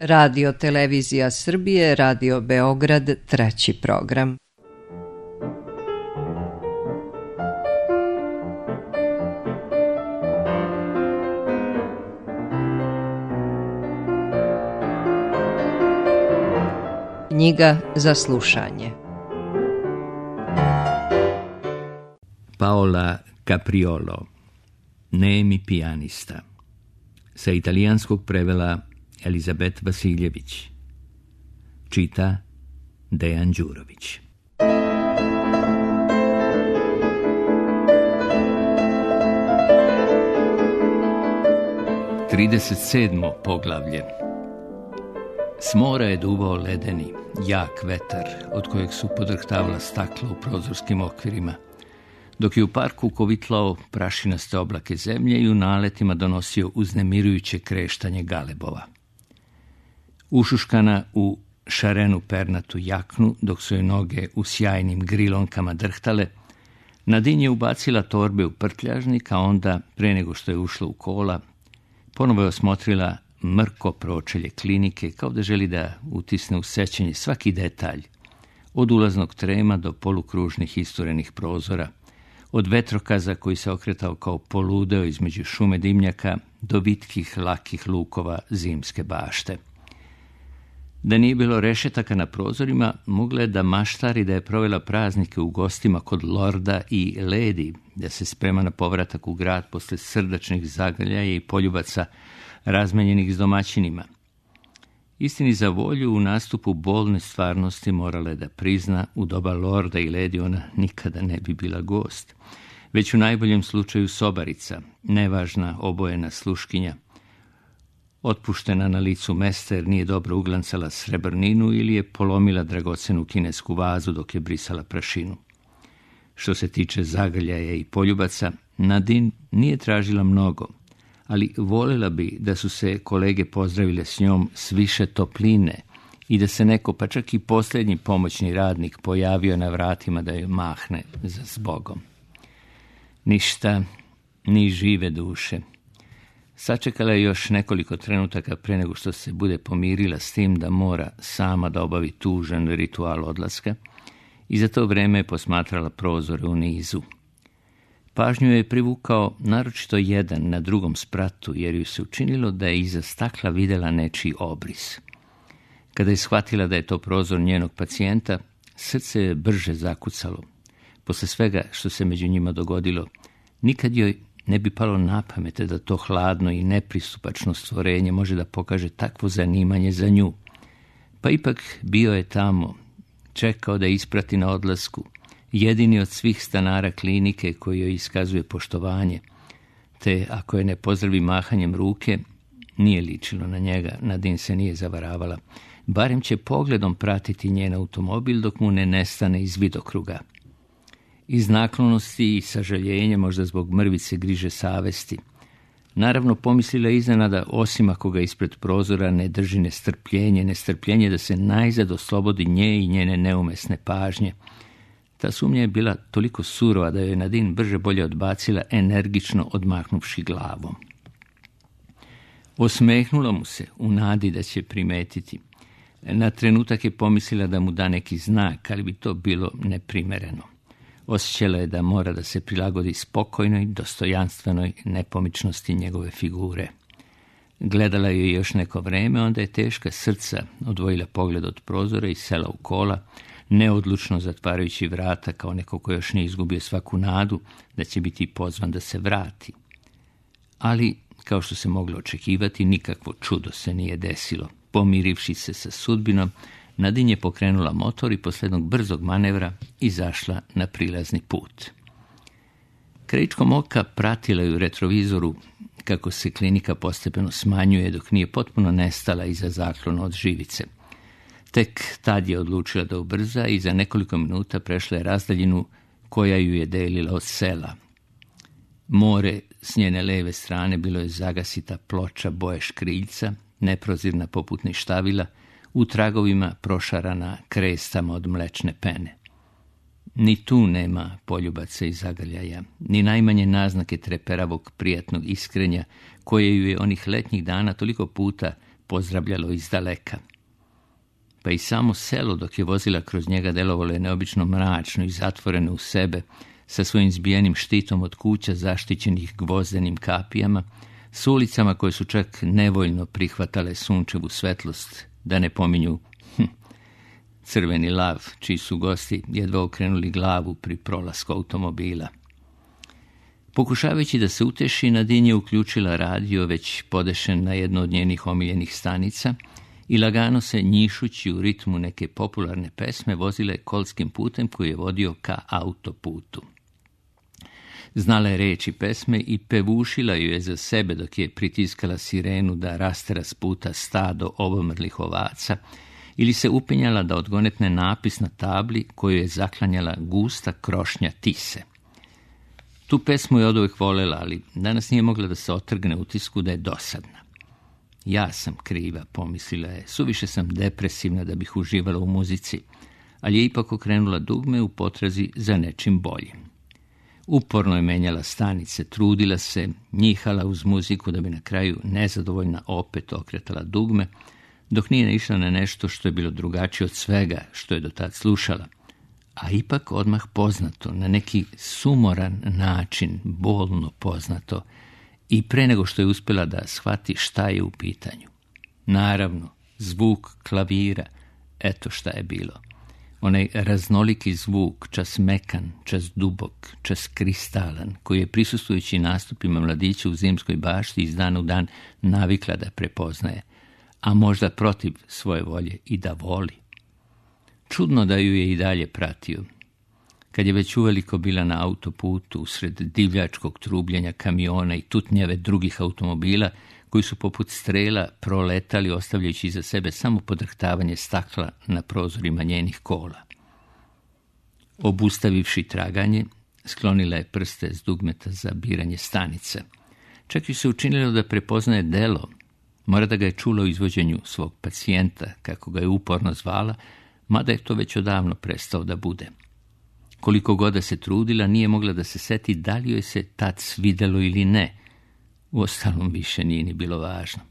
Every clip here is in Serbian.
Radio Televizija Srbije, Radio Beograd, treći program. Knjiga za slušanje. Paola Capriolo, Nemi pijanista. Sa italijanskog prevela Elizabet Vasiljević. Čita Dejan Đurović. 37. poglavlje. S mora je duvao ledeni, jak vetar, od kojeg su podrhtavala stakla u prozorskim okvirima, dok je u parku kovitlao prašinaste oblake zemlje i u naletima donosio uznemirujuće kreštanje galebova. Ušuškana u šarenu pernatu jaknu, dok su joj noge u sjajnim grilonkama drhtale, Nadin je ubacila torbe u prtljažnik, a onda, pre nego što je ušla u kola, ponovo je osmotrila mrko pročelje klinike, kao da želi da utisne u sećanje svaki detalj, od ulaznog trema do polukružnih isturenih prozora, od vetrokaza koji se okretao kao poludeo između šume dimnjaka do vitkih, lakih lukova zimske bašte. Da nije bilo rešetaka na prozorima, mogla je da maštari da je provela praznike u gostima kod lorda i ledi, da se sprema na povratak u grad posle srdačnih zagrljaja i poljubaca razmenjenih s domaćinima. Istini za volju, u nastupu bolne stvarnosti morala je da prizna, u doba lorda i ledi ona nikada ne bi bila gost, već u najboljem slučaju sobarica, nevažna obojena sluškinja, otpuštena na licu mesta jer nije dobro uglancala srebrninu ili je polomila dragocenu kinesku vazu dok je brisala prašinu. Što se tiče zagrljaja i poljubaca, Nadin nije tražila mnogo, ali voljela bi da su se kolege pozdravile s njom s više topline i da se neko, pa čak i posljednji pomoćni radnik, pojavio na vratima da joj mahne za zbogom. Ništa, ni žive duše. Sačekala je još nekoliko trenutaka pre nego što se bude pomirila s tim da mora sama da obavi tužan ritual odlaska i za to vreme je posmatrala prozore u nizu. Pažnju je privukao naročito jedan na drugom spratu, jer ju se učinilo da je iza stakla videla nečiji obris. Kada je shvatila da je to prozor njenog pacijenta, srce je brže zakucalo. Posle svega što se među njima dogodilo, nikad joj ne bi palo na pamet da to hladno i nepristupačno stvorenje može da pokaže takvo zanimanje za nju. Pa ipak bio je tamo, čekao da isprati na odlasku, jedini od svih stanara klinike koji joj iskazuje poštovanje, te ako je ne pozdravi mahanjem ruke, nije ličilo na njega, Nadin se nije zavaravala, barem će pogledom pratiti njen automobil dok mu ne nestane iz vidokruga. Iz naklonosti i sažaljenja, možda zbog mrvice griže savesti. Naravno, pomislila je iznenada, osim ako ga ispred prozora ne drži nestrpljenje da se najzad oslobodi nje i njene neumesne pažnje. Ta sumnja je bila toliko surova da joj Nadin brže bolje odbacila, energično odmahnuvši glavom. Osmehnula mu se u nadi da će primetiti. Na trenutak je pomislila da mu da neki znak, ali bi to bilo neprimereno. Osjećala je da mora da se prilagodi spokojnoj, dostojanstvenoj nepomičnosti njegove figure. Gledala je još neko vreme, onda je teška srca odvojila pogled od prozora i sela u kola, neodlučno zatvarajući vrata kao neko ko još nije izgubio svaku nadu da će biti pozvan da se vrati. Ali, kao što se moglo očekivati, nikakvo čudo se nije desilo. Pomirivši se sa sudbinom, Nadin je pokrenula motor i posle jednog brzog manevra izašla na prilazni put. Krajičkom oka pratila ju u retrovizoru kako se klinika postepeno smanjuje dok nije potpuno nestala iza zaklona od živice. Tek tad je odlučila da ubrza i za nekoliko minuta prešla je razdaljinu koja ju je delila od sela. More s njene leve strane bilo je zagasita ploča boje škriljca, neprozirna poput ništavila, u tragovima prošarana krestama od mlečne pene. Ni tu nema poljubaca i zagrljaja, ni najmanje naznake treperavog prijatnog iskrenja koje ju je onih letnjih dana toliko puta pozdravljalo iz daleka. Pa i samo selo dok je vozila kroz njega delovalo je neobično mračno i zatvoreno u sebe, sa svojim zbijenim štitom od kuća zaštićenih gvozdenim kapijama, s ulicama koje su čak nevoljno prihvatale sunčevu svetlost, da ne pominju crveni lav, čiji su gosti jedva okrenuli glavu pri prolasku automobila. Pokušavajući da se uteši, Nadine je uključila radio, već podešen na jednu od njenih omiljenih stanica, i lagano se, njišući u ritmu neke popularne pesme, vozile kolskim putem koji je vodio ka autoputu. Znala je reči pesme i pevušila ju je za sebe dok je pritiskala sirenu da rastera s puta stado obomrlih ovaca ili se upenjala da odgonetne napis na tabli koju je zaklanjala gusta krošnja tise. Tu pesmu je oduvek volela, ali danas nije mogla da se otrgne utisku da je dosadna. Ja sam kriva, pomislila je, suviše sam depresivna da bih uživala u muzici, ali je ipak okrenula dugme u potrazi za nečim boljim. Uporno je menjala stanice, trudila se, njihala uz muziku da bi na kraju nezadovoljna opet okretala dugme, dok nije naišla na nešto što je bilo drugačije od svega što je do tad slušala, a ipak odmah poznato, na neki sumoran način, bolno poznato, i pre nego što je uspjela da shvati šta je u pitanju. Naravno, zvuk klavira, eto šta je bilo. Onaj raznoliki zvuk, čas mekan, čas dubok, čas kristalan, koji je prisustvujući nastupima mladića u Zimskoj bašti iz dana u dan navikla da prepoznaje, a možda protiv svoje volje i da voli. Čudno da ju je i dalje pratio. Kad je već uveliko bila na autoputu, usred divljačkog trubljenja kamiona i tutnjave drugih automobila, koji su poput strela proletali, ostavljajući iza sebe samo podrhtavanje stakla na prozorima njenih kola. Obustavivši traganje, sklonila je prste s dugmeta za biranje stanica. Čak i se učinilo da prepoznaje delo, mora da ga je čula u izvođenju svog pacijenta, kako ga je uporno zvala, mada je to već odavno prestao da bude. Koliko god da se trudila, nije mogla da se seti da li joj se tad svidelo ili ne. Uostalom više nije ni bilo važno.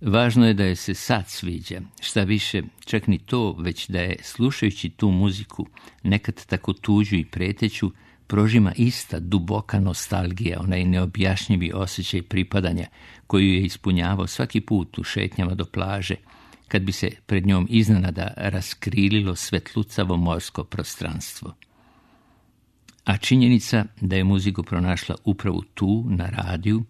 Važno je da je se sad sviđa, šta više, čak ni to, već da je, slušajući tu muziku, nekad tako tuđu i preteću, prožima ista duboka nostalgija, onaj neobjašnjivi osjećaj pripadanja koju je ispunjavao svaki put u šetnjama do plaže, kad bi se pred njom iznenada raskrililo svetlucavo morsko prostranstvo. A činjenica da je muziku pronašla upravo tu, na radiju,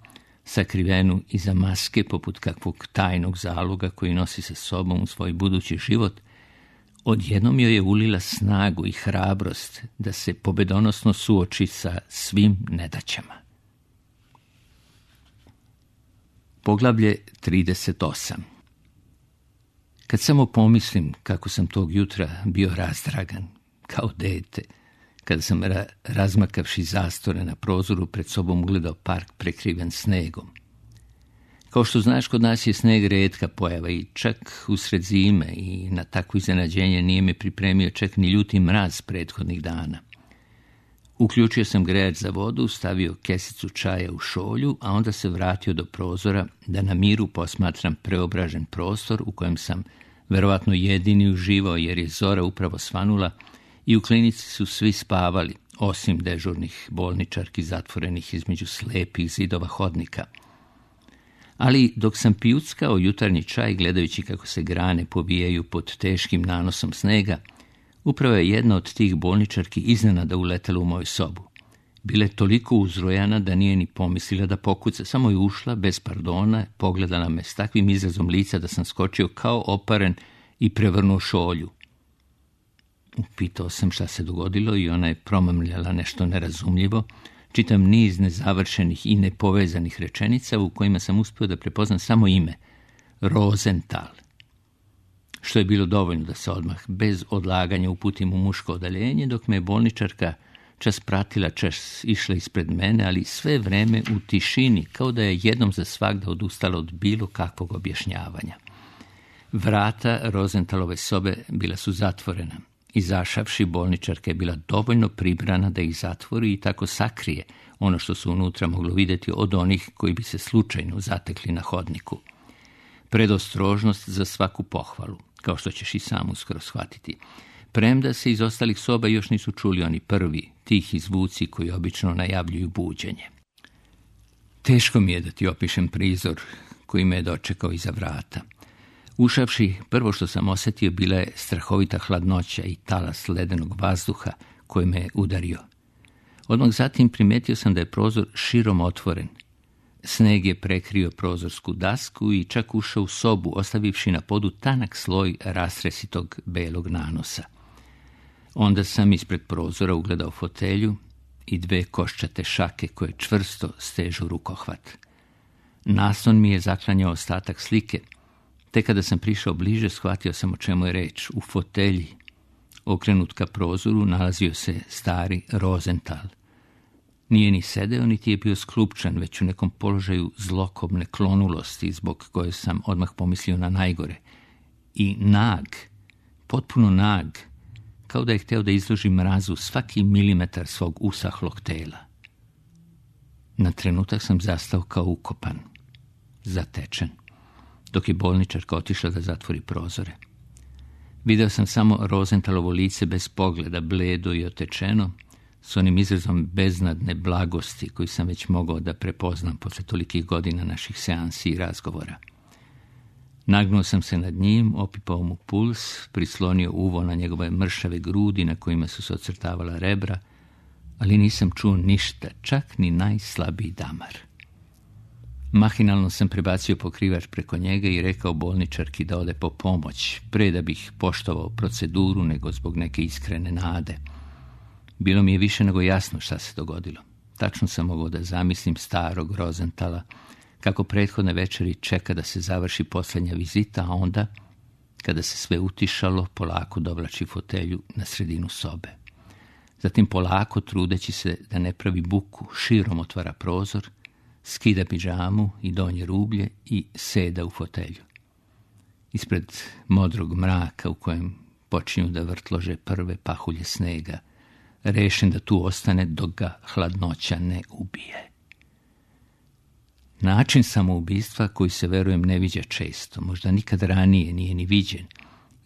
sakrivenu iza maske poput kakvog tajnog zaloga koji nosi sa sobom u svoj budući život, odjednom joj je ulila snagu i hrabrost da se pobedonosno suoči sa svim nedaćama. Poglavlje 38. Kad samo pomislim kako sam tog jutra bio razdragan, kao dete, kada sam razmakavši zastore na prozoru pred sobom ugledao park prekriven snegom. Kao što znaš, kod nas je sneg retka pojava i čak usred zime i na takvo iznenađenje nije me pripremio čak ni ljuti mraz prethodnih dana. Uključio sam grejač za vodu, stavio kesicu čaja u šolju, a onda se vratio do prozora da na miru posmatram preobražen prostor u kojem sam verovatno jedini uživao jer je zora upravo svanula i u klinici su svi spavali, osim dežurnih bolničarki zatvorenih između slepih zidova hodnika. Ali dok sam pijuckao jutarnji čaj gledajući kako se grane pobijaju pod teškim nanosom snega, upravo je jedna od tih bolničarki iznenada uletela u moju sobu. Bila je toliko uzrojana da nije ni pomislila da pokuca, samo je ušla bez pardona, pogledala me s takvim izrazom lica da sam skočio kao oparen i prevrnuo šolju. Upitao sam šta se dogodilo i ona je promamljala nešto nerazumljivo, čitam niz nezavršenih i nepovezanih rečenica u kojima sam uspio da prepoznam samo ime, Rosenthal. Što je bilo dovoljno da se odmah bez odlaganja uputim u muško odaljenje, dok me je bolničarka čas pratila, čas išla ispred mene, ali sve vreme u tišini, kao da je jednom za svagda odustala od bilo kakvog objašnjavanja. Vrata Rosenthalove sobe bila su zatvorena. Izašavši, bolničarka je bila dovoljno pribrana da ih zatvori i tako sakrije ono što su unutra moglo vidjeti od onih koji bi se slučajno zatekli na hodniku. predostrožnost za svaku pohvalu, kao što ćeš i sam uskoro shvatiti. Premda se iz ostalih soba još nisu čuli oni prvi, tihi zvuci koji obično najavljuju buđenje. Teško mi je da ti opišem prizor koji me je dočekao iza vrata. Ušavši, prvo što sam osjetio bila je strahovita hladnoća i talas ledenog vazduha koji me je udario. Odmah zatim primetio sam da je prozor širom otvoren. Sneg je prekrio prozorsku dasku i čak ušao u sobu, ostavivši na podu tanak sloj rastresitog belog nanosa. Onda sam ispred prozora ugledao fotelju i 2 koščate šake koje čvrsto stežu rukohvat. Naslon mi je zaklanjao ostatak slike, te kada sam prišao bliže shvatio sam o čemu je reč. U fotelji, okrenut ka prozoru, nalazio se stari Rosenthal. Nije ni sedeo, niti je bio sklupčan, već u nekom položaju zlokobne klonulosti, zbog koje sam odmah pomislio na najgore. I nag, potpuno nag, kao da je hteo da izloži mrazu svaki milimetar svog usahlog tela. Na trenutak sam zastao kao ukopan, zatečen, dok je bolničarka otišla da zatvori prozore. Video sam samo Rosenthalovo lice bez pogleda, bledo i otečeno, s onim izrazom beznadne blagosti koji sam već mogao da prepoznam posle tolikih godina naših seansi i razgovora. Nagnuo sam se nad njim, opipao mu puls, prislonio uvo na njegove mršave grudi na kojima su se ocrtavala rebra, ali nisam čuo ništa, čak ni najslabiji damar. Mahinalno sam prebacio pokrivač preko njega i rekao bolničarki da ode po pomoć, pre da bih poštovao proceduru nego zbog neke iskrene nade. Bilo mi je više nego jasno šta se dogodilo. Tačno sam mogao da zamislim starog Rosenthala, kako prethodne večeri čeka da se završi posljednja vizita, a onda, kada se sve utišalo, polako dovlači fotelju na sredinu sobe. Zatim polako, trudeći se da ne pravi buku, širom otvara prozor, skida pidžamu i donje rublje i seda u fotelju. Ispred modrog mraka u kojem počinju da vrtlože prve pahulje snega, rešen da tu ostane dok ga hladnoća ne ubije. Način samoubistva koji se, verujem, ne viđa često, možda nikad ranije nije ni viđen,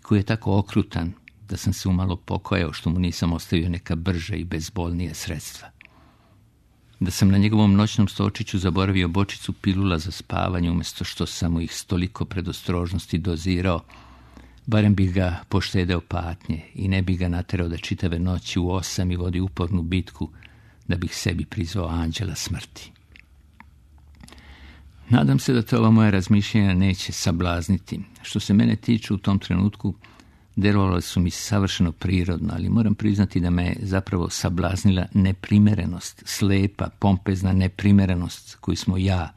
koji je tako okrutan da sam se umalo pokajao što mu nisam ostavio neka brža i bezbolnija sredstva. Da sam na njegovom noćnom stočiću zaboravio bočicu pilula za spavanje umjesto što sam mu ih s toliko predostrožnosti dozirao, barem bih ga poštedeo patnje i ne bih ga naterao da čitave noći u 8 i vodi upornu bitku da bih sebi prizvao anđela smrti. Nadam se da te ova moja razmišljenja neće sablazniti. Što se mene tiče, u tom trenutku delovale su mi savršeno prirodno, ali moram priznati da me je zapravo sablaznila neprimerenost, slepa, pompezna neprimerenost koju smo ja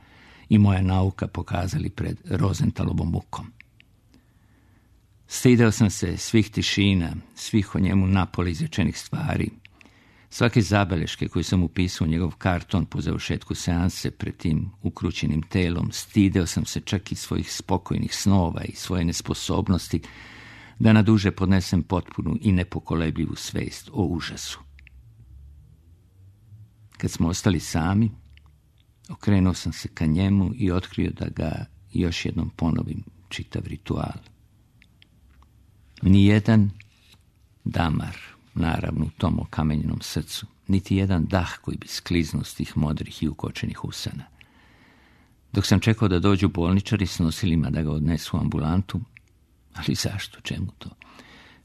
i moja nauka pokazali pred Rosenthalovom mukom. Stideo sam se svih tišina, svih o njemu napoli izrečenih stvari, svake zabeleške koje sam upisao u njegov karton po završetku seanse pred tim ukrućenim telom. Stideo sam se čak i svojih spokojnih snova i svoje nesposobnosti da na duže podnesem potpunu i nepokolebljivu svest o užasu. Kad smo ostali sami, okrenuo sam se ka njemu i otkrio da ga još jednom ponovim čitav ritual. Nijedan damar, naravno u tom okamenjenom srcu, niti jedan dah koji bi skliznuo s tih modrih i ukočenih usana. Dok sam čekao da dođu bolničari s nosilima da ga odnesu u ambulantu, ali zašto, čemu to?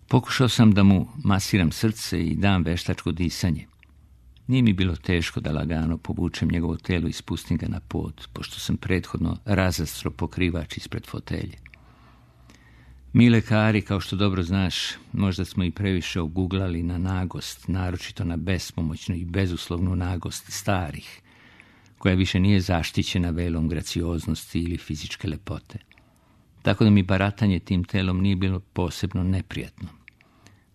Pokušao sam da mu masiram srce i dam veštačko disanje. Nije mi bilo teško da lagano povučem njegovo telo i spustim ga na pod, pošto sam prethodno razastro pokrivač ispred fotelje. Mi lekari, kao što dobro znaš, možda smo i previše oguglali na nagost, naročito na bespomoćnu i bezuslovnu nagost starih, koja više nije zaštićena velom gracioznosti ili fizičke lepote. Tako da mi baratanje tim telom nije bilo posebno neprijatno.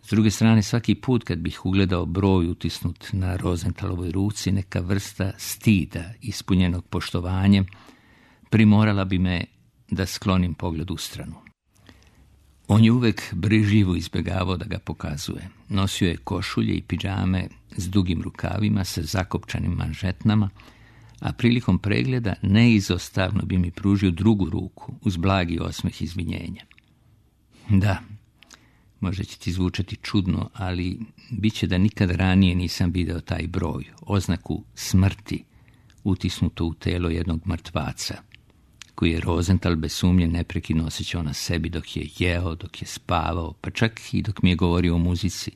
S druge strane, svaki put kad bih ugledao broj utisnut na Rosenthalovoj ruci, neka vrsta stida ispunjenog poštovanjem primorala bi me da sklonim pogled u stranu. On je uvek brižljivo izbjegavao da ga pokazuje. Nosio je košulje i pidžame s dugim rukavima, sa zakopčanim manžetnama, a prilikom pregleda neizostavno bi mi pružio drugu ruku uz blagi osmeh izvinjenja. Da, možda će ti zvučati čudno, ali bit će da nikad ranije nisam video taj broj, oznaku smrti, utisnuto u telo jednog mrtvaca, koji je Rosenthal bez sumnje neprekidno osjećao na sebi dok je jeo, dok je spavao, pa čak i dok mi je govorio o muzici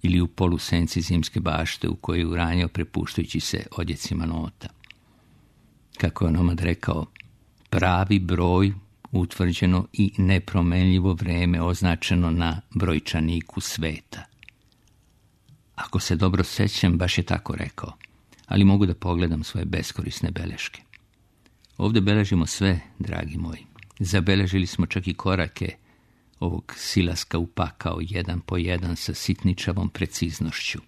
ili u polusenci zimske bašte u kojoj je uranjao prepuštajući se odjecima nota. Kako je onomad rekao, pravi broj, utvrđeno i nepromenljivo vreme označeno na brojčaniku sveta. Ako se dobro sećam, baš je tako rekao, ali mogu da pogledam svoje beskorisne beleške. Ovdje beležimo sve, dragi moji. Zabeležili smo čak i korake ovog silaska u pakao jedan po jedan sa sitničavom preciznošću.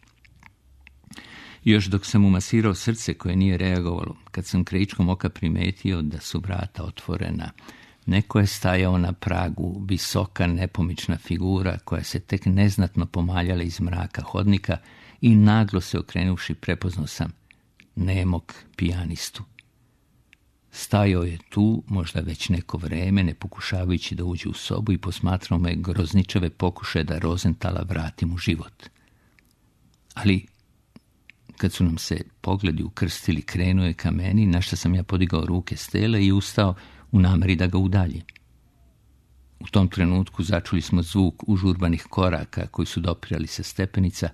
Još dok sam umasirao srce koje nije reagovalo, kad sam krajičkom oka primetio da su vrata otvorena, neko je stajao na pragu, visoka nepomična figura koja se tek neznatno pomaljala iz mraka hodnika i naglo se okrenuvši prepoznao sam nemog pijanistu. Stajao je tu, možda već neko vreme, ne pokušavajući da uđe u sobu i posmatrao me grozničave pokušaje da Rosenthala vratim u život. Ali, kad su nam se pogledi ukrstili, krenuo je ka meni, na što sam ja podigao ruke s tela i ustao u nameri da ga udalji. U tom trenutku začuli smo zvuk užurbanih koraka koji su dopirali sa stepenica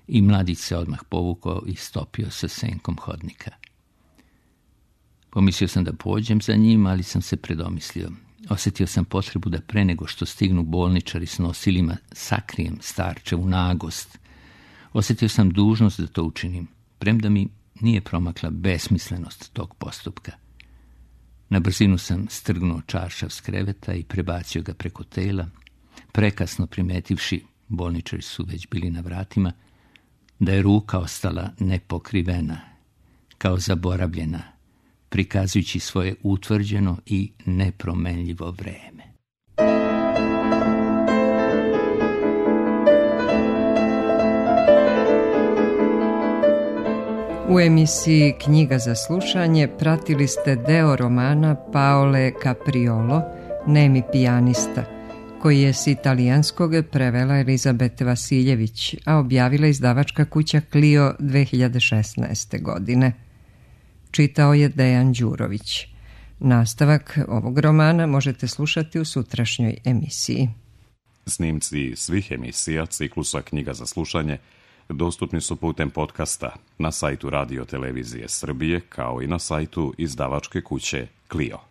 i mladić se odmah povukao i stopio sa senkom hodnika. Pomislio sam da pođem za njim, ali sam se predomislio. Osjetio sam potrebu da pre nego što stignu bolničari s nosilima sakrijem starčevu nagost. Osjetio sam dužnost da to učinim, premda mi nije promakla besmislenost tog postupka. Na brzinu sam strgnuo čaršav s kreveta i prebacio ga preko tela, prekasno primetivši, bolničari su već bili na vratima, da je ruka ostala nepokrivena, kao zaboravljena, prikazujući svoje utvrđeno i nepromenljivo vreme. U emisiji Knjiga za slušanje pratili ste deo romana Paole Capriolo, Nemi pijanista, koji je s italijanskog prevela Elizabete Vasiljević, a objavila izdavačka kuća Clio 2016. godine. Čitao je Dejan Đurović. Nastavak ovog romana možete slušati u sutrašnjoj emisiji. Snimci svih emisija ciklusa Knjiga za slušanje dostupni su putem podcasta na sajtu Radio Televizije Srbije kao i na sajtu izdavačke kuće Clio.